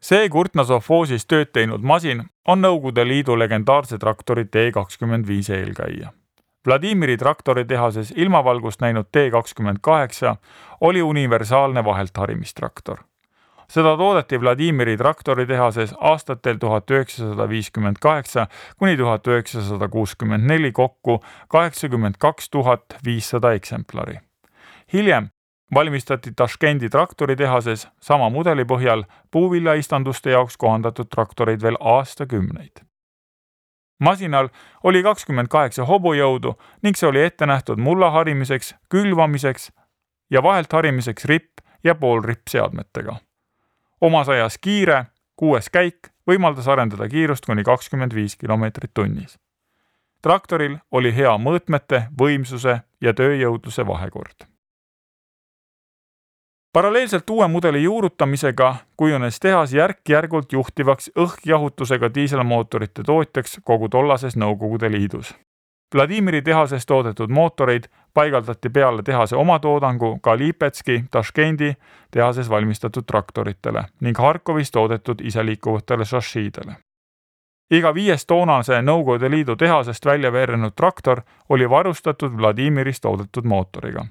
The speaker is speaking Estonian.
See Kurtna-Sovhozis tööd teinud masin on Nõukogude Liidu legendaarse traktori T25 eelkäija. Vladimiri traktoritehases ilmavalgust näinud T28 oli universaalne vaheltharimistraktor. Seda toodeti Vladimiri traktoritehases aastatel 1958 kuni 1964 kokku 82 500 eksemplari. Hiljem valmistati Taškendi traktoritehases sama mudeli põhjal puuviljaistanduste jaoks kohandatud traktoreid veel aastakümneid. Masinal oli 28 hobujõudu ning see oli ette nähtud mulla harimiseks, külvamiseks ja vahelt harimiseks ripp- ja poolrippseadmetega. Omas ajas kiire, 6 käik võimaldas arendada kiirust kuni 25 kilomeetrit tunnis. Traktoril oli hea mõõtmete, võimsuse ja tööjõudluse vahekord. Paralleelselt uue mudeli juurutamisega kujunes tehas järk-järgult juhtivaks õhkjahutusega diiselmootorite tootjaks kogu tollases Nõukogude Liidus. Vladimiri tehases toodetud mootoreid paigaldati peale tehase omatoodangu ka Lipetski, Taškendi tehases valmistatud traktoritele ning Harkovis toodetud iseliikuvatele šašiidele. Iga 5 toonase Nõukogude Liidu tehasest välja veerenud traktor oli varustatud Vladimiris toodetud mootoriga.